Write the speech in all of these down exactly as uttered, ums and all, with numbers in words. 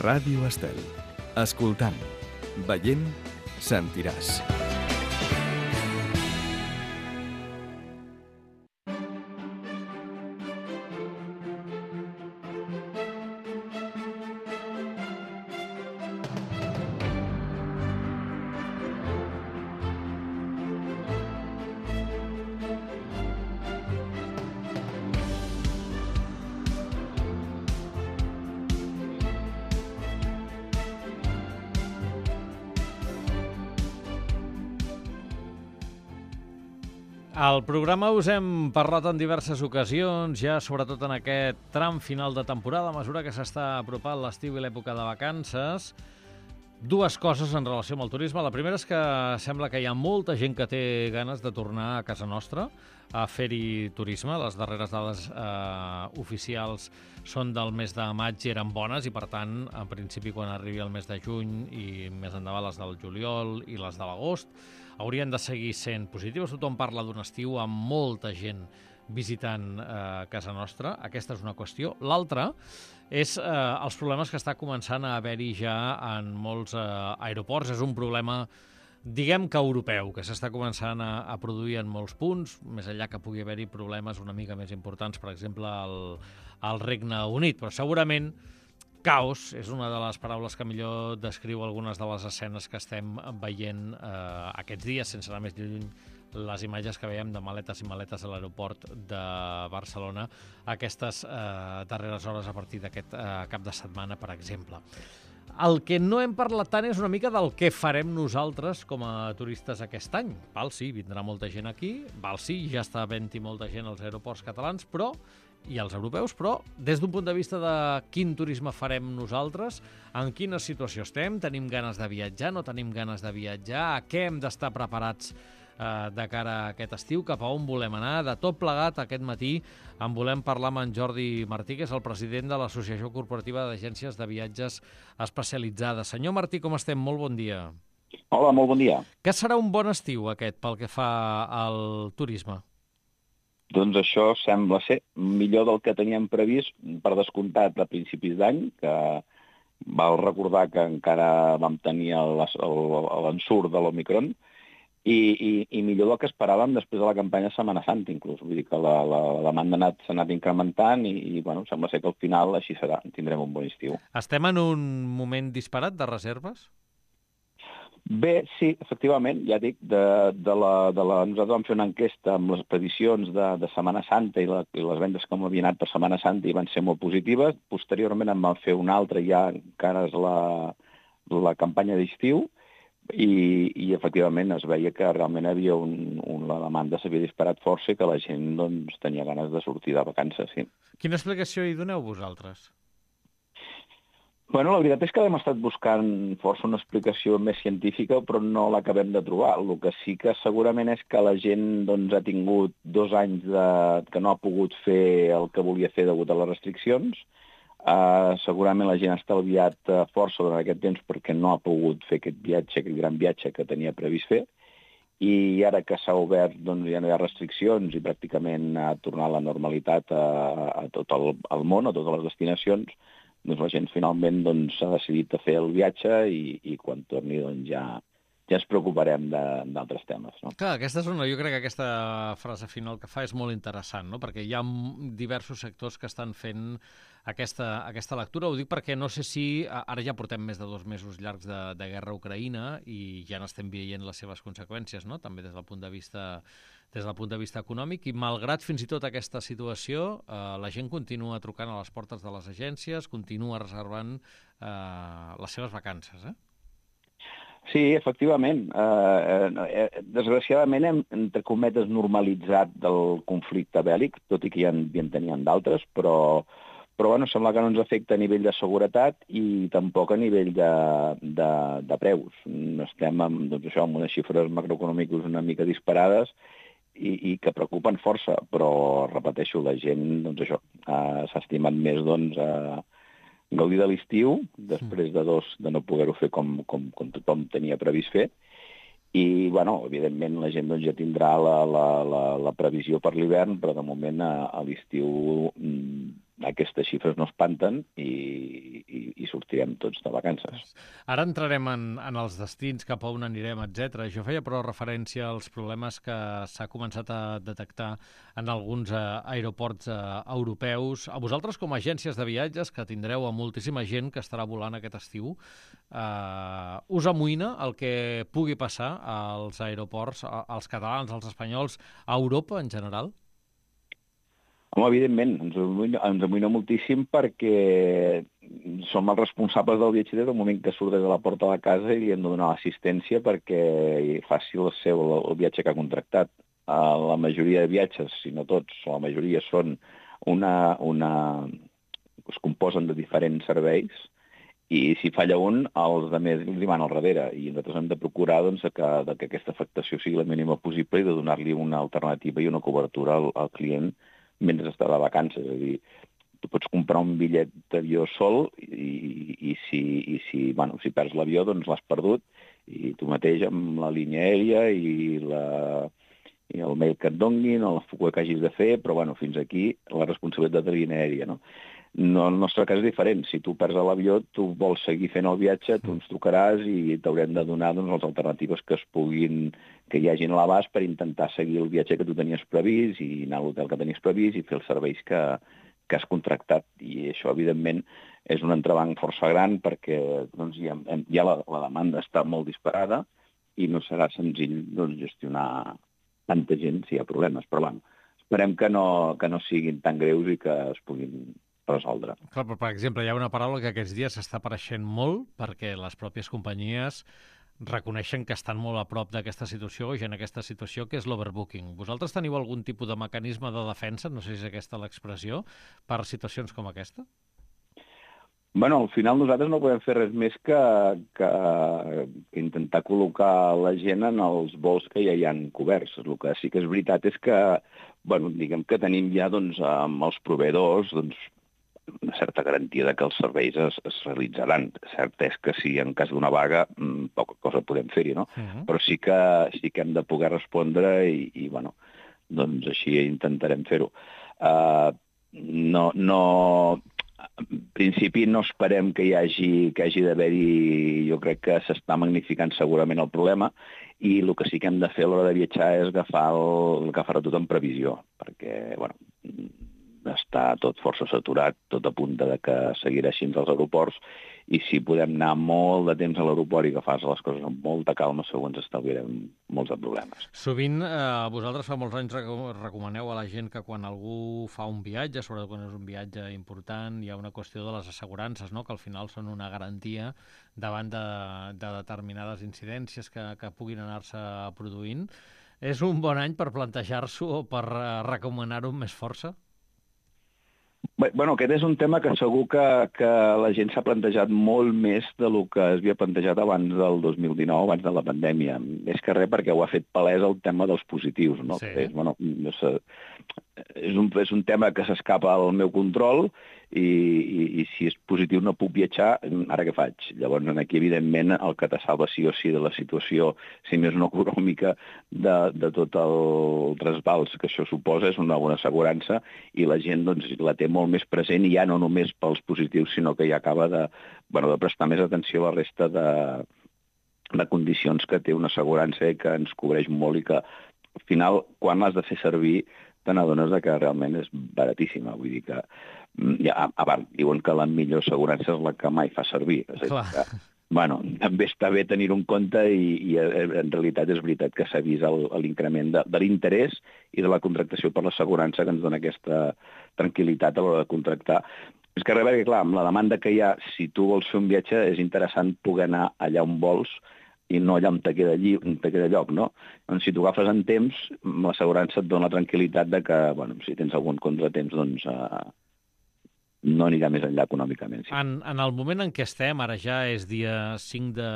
Ràdio Estel. Escoltant, veient, sentiràs. Al programa us hem parlat en diverses ocasions, ja sobretot en aquest tram final de temporada, a mesura que s'està apropant l'estiu i l'època de vacances. Dues coses en relació amb el turisme. La primera és que sembla que hi ha molta gent que té ganes de tornar a casa nostra a fer-hi turisme. Les darreres dades eh, oficials són del mes de maig i eren bones i, per tant, en principi, quan arribi el mes de juny i més endavant les del juliol i les de l'agost, haurien de seguir sent positives. Tothom parla d'un estiu amb molta gent visitant eh, casa nostra. Aquesta és una qüestió. L'altra és eh, els problemes que està començant a haver-hi ja en molts eh, aeroports. És un problema, diguem que europeu, que s'està començant a, a produir en molts punts, més enllà que pugui haver-hi problemes una mica més importants, per exemple, al, al Regne Unit. Però segurament caos és una de les paraules que millor descriu algunes de les escenes que estem veient eh, aquests dies, sense anar més lluny, les imatges que veiem de maletes i maletes a l'aeroport de Barcelona aquestes eh, darreres hores a partir d'aquest eh, cap de setmana, per exemple. El que no hem parlat tant és una mica del que farem nosaltres com a turistes aquest any. Val, sí, vindrà molta gent aquí, val, sí, ja està havent-hi molta gent als aeroports catalans, però i als europeus, però des d'un punt de vista de quin turisme farem nosaltres, en quina situació estem, tenim ganes de viatjar, no tenim ganes de viatjar, a què hem d'estar preparats eh, de cara a aquest estiu, cap a on volem anar. De tot plegat, aquest matí en volem parlar amb en Jordi Martí, que és el president de l'Associació Corporativa d'Agències de Viatges Especialitzades. Senyor Martí, com estem? Molt bon dia. Hola, molt bon dia. Què serà un bon estiu aquest pel que fa al turisme? Doncs això sembla ser millor del que teníem previst, per descomptat a principis d'any, que val recordar que encara vam tenir l'ensurt de l'Omicron, i, i, i millor del que esperàvem després de la campanya Setmana Santa, inclús. Vull dir que la, la, la demanda anat, s'ha anat incrementant i, i bueno, sembla ser que al final així serà, tindrem un bon estiu. Estem en un moment disparat de reserves? Bé, sí, efectivament, ja dic, de, de la, de la, nosaltres vam fer una enquesta amb les previsions de, de Setmana Santa i, la, i les vendes com havien anat per Setmana Santa i van ser molt positives. Posteriorment en vam fer una altra ja encara és la, la campanya d'estiu i, i efectivament es veia que realment havia un, un, la demanda s'havia disparat força i que la gent doncs, tenia ganes de sortir de vacances, sí. Quina explicació hi doneu vosaltres? Bueno, la veritat és que hem estat buscant força una explicació més científica, però no l'acabem de trobar. El que sí que segurament és que la gent doncs, ha tingut dos anys de... que no ha pogut fer el que volia fer degut a les restriccions. Uh, segurament la gent ha estalviat uh, força durant aquest temps perquè no ha pogut fer aquest viatge, aquest gran viatge que tenia previst fer. I ara que s'ha obert, doncs, ja no hi ha restriccions i pràcticament ha tornat la normalitat a, a tot el, el món, a totes les destinacions, doncs la gent finalment doncs, s'ha decidit a fer el viatge i, i quan torni doncs, ja, ja ens preocuparem d'altres temes. No? Clar, aquesta és una, jo crec que aquesta frase final que fa és molt interessant, no? Perquè hi ha diversos sectors que estan fent aquesta, aquesta lectura. Ho dic perquè no sé si... Ara ja portem més de dos mesos llargs de, de guerra a Ucraïna i ja n'estem veient les seves conseqüències, no? També des del punt de vista... des del punt de vista econòmic, i malgrat fins i tot aquesta situació, eh, la gent continua trucant a les portes de les agències, continua reservant eh, les seves vacances, eh? Sí, efectivament. Eh, eh, desgraciadament hem, entre cometes, normalitzat del conflicte bèl·lic, tot i que ja en, ja en tenien d'altres, però, però bueno, sembla que no ens afecta a nivell de seguretat i tampoc a nivell de, de, de preus. Estem amb, doncs això, amb unes xifres macroeconòmiques una mica disparades, I, i que preocupen força, però, repeteixo, la gent, doncs això, uh, s'ha estimat més, doncs, uh, gaudir de l'estiu, després de dos, de no poder-ho fer com, com, com tothom tenia previst fer, i, bueno, evidentment, la gent doncs, ja tindrà la, la, la, la previsió per l'hivern, però, de moment, a, a l'estiu mm, aquestes xifres no espanten i, i, i sortirem tots de vacances. Ara entrarem en, en els destins, cap a on anirem, etcètera. Jo feia però referència als problemes que s'ha començat a detectar en alguns eh, aeroports eh, europeus. A vosaltres, com a agències de viatges, que tindreu a moltíssima gent que estarà volant aquest estiu, eh, us amoïna el que pugui passar als aeroports, als catalans, als espanyols, a Europa en general? Home, evidentment, ens amoïna, ens amoïna moltíssim perquè som els responsables del viatger des del moment que surt des de la porta de la casa i li hem de donar l'assistència perquè faci el seu el viatge que ha contractat. Uh, la majoria de viatges, si no tots, la majoria són una, una... es composen de diferents serveis i si falla un, els altres li van al darrere i nosaltres hem de procurar doncs, que, que aquesta afectació sigui la mínima possible i de donar-li una alternativa i una cobertura al, al client mentre està de vacances. És a dir, tu pots comprar un bitllet d'avió sol i, i, i, si, i si, bueno, si perds l'avió doncs l'has perdut i tu mateix amb la línia aèria i, la, i el mail que et donguin o la fuga que hagis de fer, però bueno, fins aquí la responsabilitat de la línia aèria, no? No, el nostre cas és diferent. Si tu perds l'avió, tu vols seguir fent el viatge, tu ens trucaràs i t'haurem de donar doncs, les alternatives que es puguin, que hi hagin a l'abast per intentar seguir el viatge que tu tenies previst i anar a l'hotel que tenies previst i fer els serveis que, que has contractat. I això, evidentment, és un entrebanc força gran perquè doncs, ja, ja la, la demanda està molt disparada i no serà senzill doncs, gestionar tanta gent si hi ha problemes. Però bueno, esperem que no, que no siguin tan greus i que es puguin resoldre. Clar, però, per exemple, hi ha una paraula que aquests dies s'està apareixent molt perquè les pròpies companyies reconeixen que estan molt a prop d'aquesta situació i en aquesta situació, que és l'overbooking. Vosaltres teniu algun tipus de mecanisme de defensa, no sé si és aquesta l'expressió, per situacions com aquesta? Bueno, al final nosaltres no podem fer res més que, que, que intentar col·locar la gent en els vols que ja hi han coberts. El que sí que és veritat és que, bueno, diguem que tenim ja doncs, amb els proveïdors doncs, una certa garantia de que els serveis es, es realitzaran. Cert és que si en cas d'una vaga poca cosa podem fer-hi, no? Uh-huh. Però sí que, sí que hem de poder respondre i, i bueno, doncs així intentarem fer-ho. Uh, no, no, en principi no esperem que hi hagi, que hagi d'haver-hi, jo crec que s'està magnificant segurament el problema i el que sí que hem de fer a l'hora de viatjar és agafar el, agafar tot en previsió, perquè, bueno, està tot força saturat, tot apunta de que seguirà així als aeroports i si podem anar molt de temps a l'aeroport i agafar les coses amb molta calma, segur ens estalviarem molts de problemes. Sovint, eh, vosaltres fa molts anys recomaneu a la gent que quan algú fa un viatge, sobretot quan és un viatge important, hi ha una qüestió de les assegurances, no? Que al final són una garantia davant de, de determinades incidències que, que puguin anar-se produint. És un bon any per plantejar-s'ho o per eh, recomanar-ho amb més força? Bé, bueno, aquest és un tema que segur que, que la gent s'ha plantejat molt més del que es havia plantejat abans del dos mil dinou, abans de la pandèmia. Més que res perquè ho ha fet palès el tema dels positius, no? Sí. És, bueno, és, és, un, és un tema que s'escapa al meu control i, i, i si és positiu no puc viatjar, ara què faig? Llavors, aquí, evidentment, el que te salva sí o sí de la situació, si més no econòmica, de, de tot el trasbals que això suposa, és una bona assegurança i la gent doncs, la té molt més present i ja no només pels positius, sinó que ja acaba de, bueno, de prestar més atenció a la resta de, de condicions que té una assegurança i que ens cobreix molt i que, al final, quan l'has de fer servir, te n'adones que realment és baratíssima. Vull dir que, ja, a part, diuen que la millor assegurança és la que mai fa servir. És a dir, que, bueno, també està bé tenir-ho en compte i, i en realitat és veritat que s'ha vist l'increment de, de l'interès i de la contractació per l'assegurança que ens dona aquesta tranquil·litat a l'hora de contractar. És que, perquè, clar, amb la demanda que hi ha, si tu vols fer un viatge, és interessant poder anar allà on vols i no allà on te queda, allí, on te queda lloc, no? Doncs si tu agafes en temps, l'assegurança et dona la tranquil·litat de que, bueno, si tens algun contratemps, doncs eh, no anirà més enllà econòmicament. Sí. En, en el moment en què estem, ara ja és dia cinc de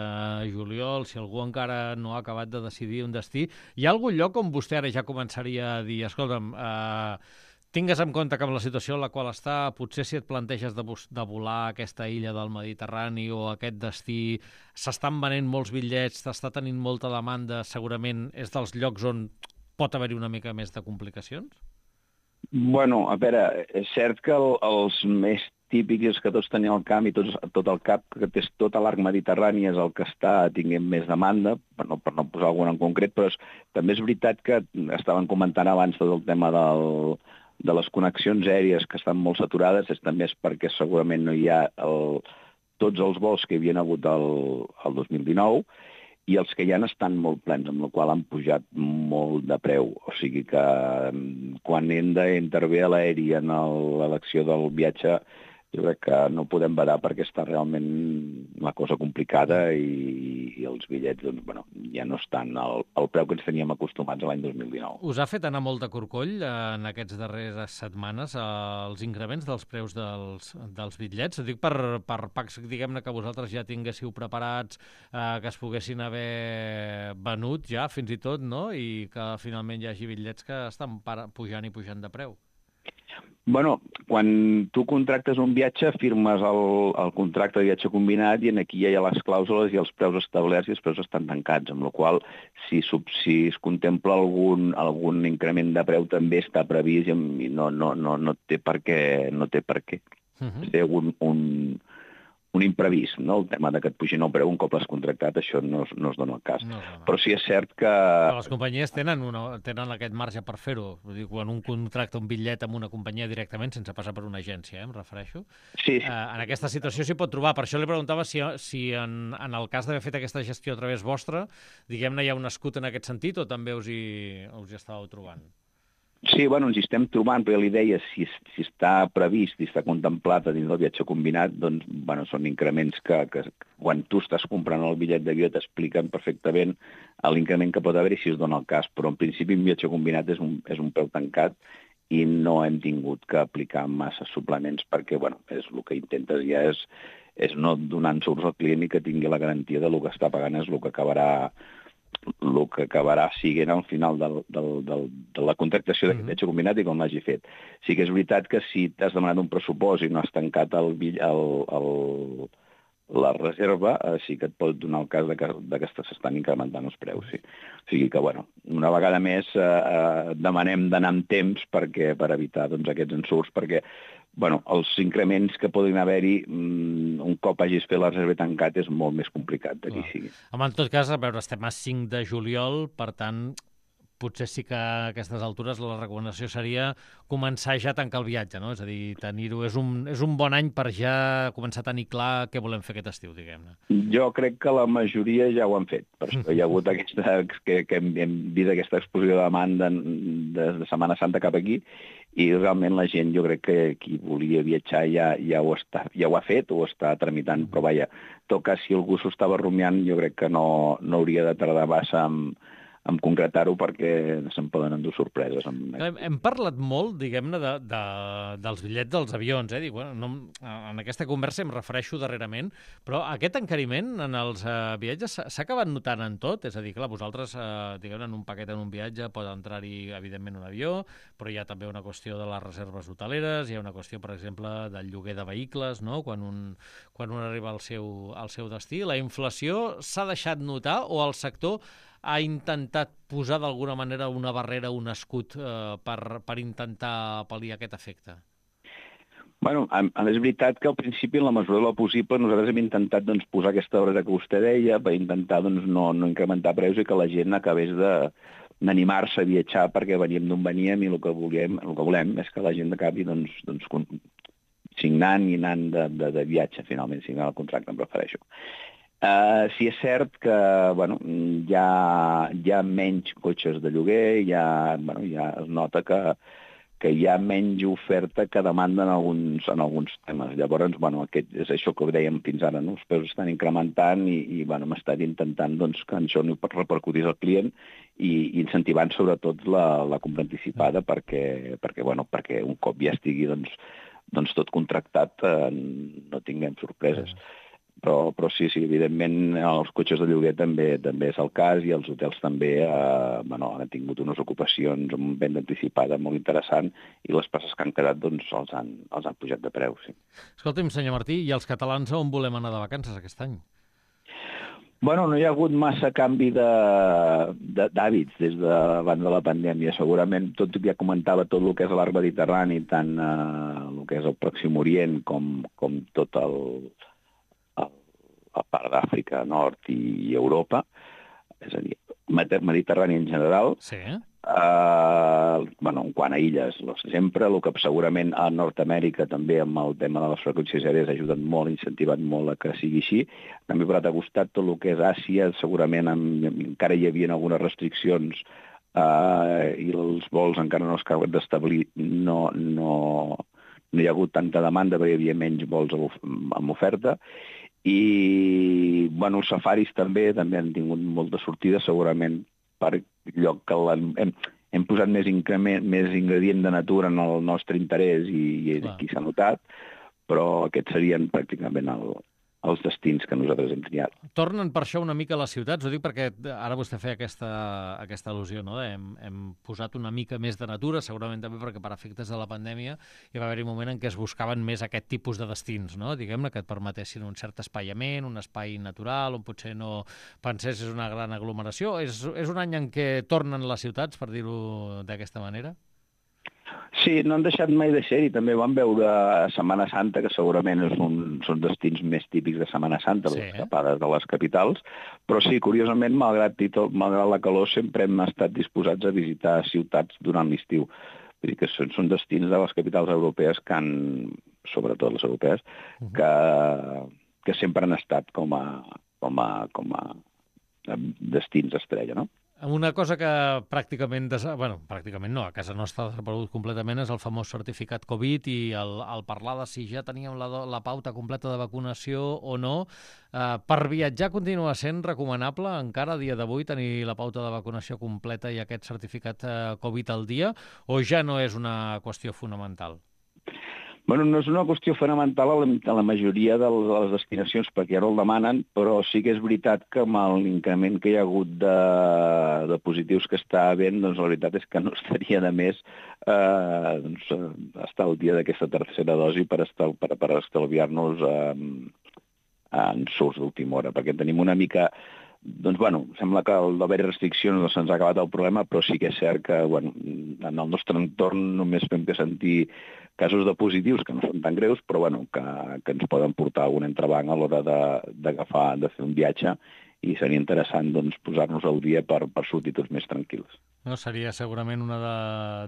juliol, si algú encara no ha acabat de decidir un destí, hi ha algun lloc on vostè ara ja començaria a dir, escolta'm, eh, tingues en compte que amb la situació en la qual està, potser si et planteges de, de volar a aquesta illa del Mediterrani o a aquest destí, s'estan venent molts bitllets, t'està tenint molta demanda, segurament és dels llocs on pot haver-hi una mica més de complicacions? Bueno, a veure, és cert que el, els més típics és que tots tenien al camp i tots, tot el cap, que és tot l'arc mediterrani és el que està tinguent més demanda, per no, per no posar algun en concret, però és, també és veritat que estaven comentant abans tot el tema del, de les connexions aèries que estan molt saturades, és, també és perquè segurament no hi ha el, tots els vols que hi havia hagut el, el dos mil dinou, i els que ja estan molt plens, amb la qual han pujat molt de preu. O sigui que quan hem d'intervé a l'aeri en l'elecció del viatge, jo crec que no podem badar perquè està realment la cosa complicada i, i els bitllets doncs, bueno, ja no estan al, al preu que ens teníem acostumats l'any dos mil dinou. Us ha fet anar molt de corcoll en aquestes darreres setmanes els increments dels preus dels, dels bitllets? Dic per, per packs, diguem-ne, que vosaltres ja tinguéssiu preparats, eh, que es poguessin haver venut ja, fins i tot, no? I que finalment hi hagi bitllets que estan pujant i pujant de preu. Bueno, quan tu contractes un viatge, firmes el, el contracte de viatge combinat i aquí ja hi ha les clàusules i els preus establerts i els preus estan tancats, amb la qual si, si es contempla algun, algun increment de preu també està previst i no, no, no, no té per què. No té per què. Uh-huh. Té un, un, un imprevist, no? El tema de que et pugin el preu un cop l'has contractat, això no, no es dona el cas. No, no, no. Però sí és cert que... Però les companyies tenen, una, tenen aquest marge per fer-ho. Vull dir, quan un contracta un bitllet amb una companyia directament, sense passar per una agència, eh, em refereixo, sí, sí. Eh, en aquesta situació s'hi pot trobar. Per això li preguntava si, si en, en el cas d'haver fet aquesta gestió a través vostra, diguem-ne, hi ha un escut en aquest sentit o també us hi, us hi estàveu trobant? Sí, bueno, ens hi estem trobant, però ja li deia, si, si està previst i està contemplat a dins del viatge combinat, doncs, bueno, són increments que, que quan tu estàs comprant el bitllet d'avió t'expliquen perfectament l'increment que pot haver i si es dona el cas, però en principi un viatge combinat és un, és un preu tancat i no hem tingut que aplicar massa suplements perquè, bueno, és el que intentes ja és, és no donar ensurts al client i que tingui la garantia de lo que està pagant és el que acabarà el que acabarà siguent al final del, del, del, de la contractació d'aquest viatge combinat i com l'hagi fet. Sí que és veritat que si t'has demanat un pressupost i no has tancat el, el, el, la reserva, eh, sí que et pot donar el cas de que, de que s'estan incrementant els preus. Sí. O sigui que, bueno, una vegada més eh, eh, demanem d'anar amb temps perquè, per evitar doncs, aquests ensurts, perquè bueno, els increments que poden haver-hi un cop hagis fet la reserva tancat és molt més complicat de qui sigui. Home, en tot cas, a veure, estem a cinc de juliol, per tant, potser sí que a aquestes altures la recomanació seria començar ja a tancar el viatge, no? És a dir, tenir-ho és un, és un bon any per ja començar a tenir clar què volem fer aquest estiu, diguem-ne. Jo crec que la majoria ja ho han fet. Per això hi ha hagut aquesta, que, que hem, hem vist aquesta explosió de demanda de, de Setmana Santa cap aquí i realment la gent, jo crec que qui volia viatjar ja, ja, ho, està, ja ho ha fet o ho està tramitant, però vaja, tot cas, si algú s'ho estava rumiant, jo crec que no, no hauria de tardar massa amb en concretar-ho perquè se'n poden endur sorpreses. Amb... Hem, hem parlat molt, diguem-ne, de, de, dels bitllets dels avions. Eh? Dic, bueno, no, en aquesta conversa em refereixo darrerament, però aquest encariment en els uh, viatges s'ha acabat notant en tot? És a dir, clar, vosaltres, uh, diguem en un paquet en un viatge pot entrar-hi, evidentment, un avió, però hi ha també una qüestió de les reserves hoteleres, hi ha una qüestió, per exemple, del lloguer de vehicles, no? Quan un, quan un arriba al seu, al seu destí. La inflació s'ha deixat notar o el sector ha intentat posar d'alguna manera una barrera, un escut eh, per, per intentar pal·liar aquest efecte? Bueno, és veritat que al principi, en la mesura del possible, nosaltres hem intentat doncs, posar aquesta barrera que vostè deia per intentar doncs, no, no incrementar preus i que la gent acabés de d'animar-se a viatjar perquè veníem d'on veníem i el que volem, el que volem és que la gent acabi doncs, doncs, signant i anant de, de, de viatge, finalment, signant el contracte, em refereixo. Uh, sí és cert que bueno, hi, ha, hi ha menys cotxes de lloguer, hi ha, bueno, ja es nota que, que hi ha menys oferta que demanda en alguns, en alguns temes. Llavors, bueno, aquest, és això que dèiem fins ara, no? Els preus estan incrementant i, i bueno, hem estat intentant doncs, que això no repercutís al client i, i incentivant sobretot la, la compra anticipada perquè, perquè, bueno, perquè un cop ja estigui doncs, doncs tot contractat eh, no tinguem sorpreses. Però, però sí, sí, evidentment els cotxes de lloguer també també és el cas i els hotels també eh, bueno, han tingut unes ocupacions amb venda anticipada molt interessant i les places que han quedat doncs, els, han, els han pujat de preu. Sí. Escolti'm, senyor Martí, i els catalans on volem anar de vacances aquest any? Bueno, no hi ha hagut massa canvi de- de- d'hàbits des de abans de la pandèmia. Segurament, tot ja comentava, tot el que és l'arc mediterrani, tant eh, el que és el Pròxim Orient com, com tot el, el, la part d'Àfrica, Nord i, i Europa, és a dir, Medi- Mediterrani en general. Sí. Uh, bueno, en quant a illes, sempre, el que segurament a Nord-Amèrica també amb el tema de les freqüències aèries ha ajudat molt, ha incentivat molt a que sigui així. També per l'altre costat, tot el que és Àsia, segurament amb, encara hi havia algunes restriccions uh, i els vols encara no es acaben d'establir, no, no, no hi ha hagut tanta demanda perquè hi havia menys vols amb oferta. I bueno, els safaris també també han tingut molta sortida, segurament per lloc que hem, hem posat més, increment, més ingredient de natura en el nostre interès i, i aquí s'ha notat, però aquests serien pràcticament el, els destins que nosaltres hem triat. Tornen per això una mica a les ciutats? Ho dic perquè ara vostè feia aquesta, aquesta al·lusió, no? Hem, hem posat una mica més de natura, segurament també perquè per efectes de la pandèmia hi va haver-hi un moment en què es buscaven més aquest tipus de destins, no? Diguem-ne, que et permetessin un cert espaiament, un espai natural, on potser no pensessis una gran aglomeració. És, és un any en què tornen les ciutats, per dir-ho d'aquesta manera? Sí, no han deixat mai de ser-hi. També vam veure a Setmana Santa, que segurament és un, són destins més típics de Setmana Santa, sí, les escapades de les capitals, però sí, curiosament, malgrat, i tot, malgrat la calor, sempre hem estat disposats a visitar ciutats durant l'estiu. Vull dir que són, són destins de les capitals europees que han, sobretot les europees, uh-huh. que, que sempre han estat com a, com a, com a destins estrella, no? Una cosa que pràcticament, des... bueno, pràcticament no, a casa nostra ha desaparegut completament, és el famós certificat Covid i el, el parlar de si ja teníem la, la pauta completa de vacunació o no. Eh, per viatjar continua sent recomanable encara a dia d'avui tenir la pauta de vacunació completa i aquest certificat eh, Covid al dia, o ja no és una qüestió fonamental? Bueno, no és una qüestió fonamental a la, a la majoria de les destinacions, perquè ja no el demanen, però sí que és veritat que amb l'increment que hi ha hagut de, de positius que està havent, doncs la veritat és que no estaria de més eh, doncs, estar al dia d'aquesta tercera dosi per, estar, per, per estalviar-nos eh, en surts d'última hora, perquè tenim una mica... Doncs, bueno, sembla que al d'haver restriccions no se'ns ha acabat el problema, però sí que és cert que, bueno, en el nostre entorn només fem que sentir casos de positius, que no són tan greus, però, bueno, que, que ens poden portar algun entrebanc a l'hora d'agafar, de, de fer un viatge, i seria interessant, doncs, posar-nos al dia per, per sortir tots més tranquils. No, seria segurament una de,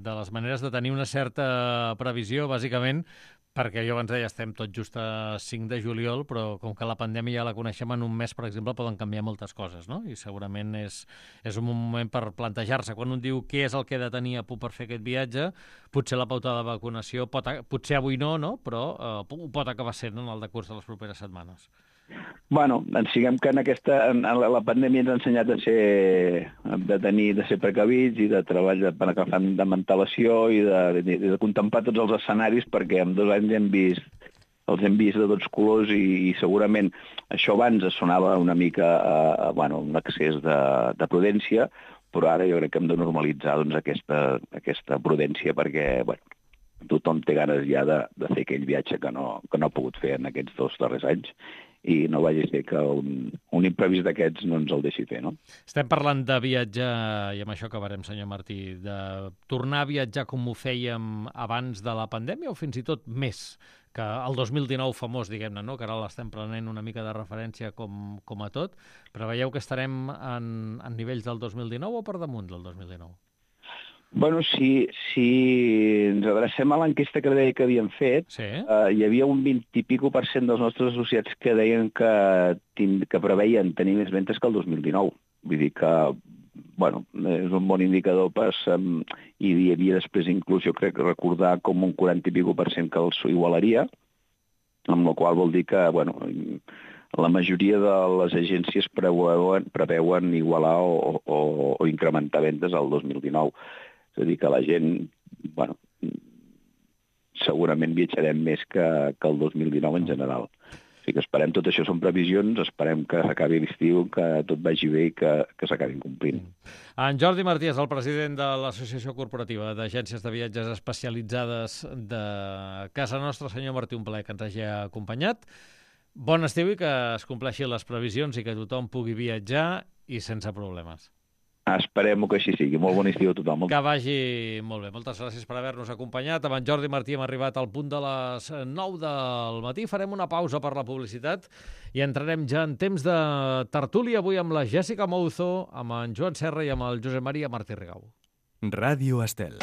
de les maneres de tenir una certa previsió, bàsicament, perquè jo abans deia, estem tot just a cinc de juliol, però com que la pandèmia ja la coneixem en un mes, per exemple, poden canviar moltes coses, no? I segurament és, és un moment per plantejar-se. Quan un diu què és el que he de tenir a punt per fer aquest viatge, potser la pauta de vacunació, pot, potser avui no, no? Però eh, ho pot acabar sent en el decurs de les properes setmanes. Bueno, ens siguem que en aquesta en la pandèmia ens ha ensenyat a ser, de tenir, de ser precavits i de treballar per agafar de mentalació i de, de, de contemplar tots els escenaris, perquè en dos anys hem vist, els hem vist de tots colors i, i segurament això abans sonava una mica a, a bueno, un excés de, de prudència, però ara jo crec que hem de normalitzar doncs, aquesta, aquesta prudència perquè bueno, tothom té ganes ja de, de fer aquell viatge que no, que no ha pogut fer en aquests dos darrers anys i no vagi a ser que un, un imprevist d'aquests no ens el deixi fer, no? Estem parlant de viatjar, i amb això acabarem, senyor Martí, de tornar a viatjar com ho fèiem abans de la pandèmia o fins i tot més que el dos mil dinou famós, diguem-ne, no? Que ara l'estem prenent una mica de referència com, com a tot, però veieu que estarem en, en nivells del dos mil dinou o per damunt del dos mil dinou? Bueno, si, si ens adrecem a l'enquesta que deia que havíem fet, sí. eh, hi havia un vint i pico per cent dels nostres associats que deien que, que preveien tenir més ventes que el dos mil dinou. Vull dir que, bueno, és un bon indicador, pas, um, i hi havia després inclús, jo crec, recordar com un quaranta i pico per cent que els igualaria, amb la qual vol dir que, bueno, la majoria de les agències preveuen, preveuen igualar o, o, o incrementar vendes al dos mil dinou. És a dir, que la gent, bueno, segurament viatjarem més que, que el dos mil dinou en general. O sigui que esperem, tot això són previsions, esperem que s'acabi l'estiu, que tot vagi bé i que, que s'acabin complint. En Jordi Martí és el president de l'Associació Corporativa d'Agències de Viatges Especialitzades de Casa Nostra. Senyor Martí, un plaer que ens hagi acompanyat. Bon estiu i que es compleixin les previsions i que tothom pugui viatjar i sense problemes. Esperem que així sigui. Molt bon estiu a tothom. Que vagi molt bé. Moltes gràcies per haver-nos acompanyat. Amb en Jordi Martí hem arribat al punt de les nou del matí. Farem una pausa per la publicitat i entrarem ja en temps de tertúlia avui amb la Jèssica Mouzo, amb en Joan Serra i amb el Josep Maria Martí Rigau. Ràdio Estel.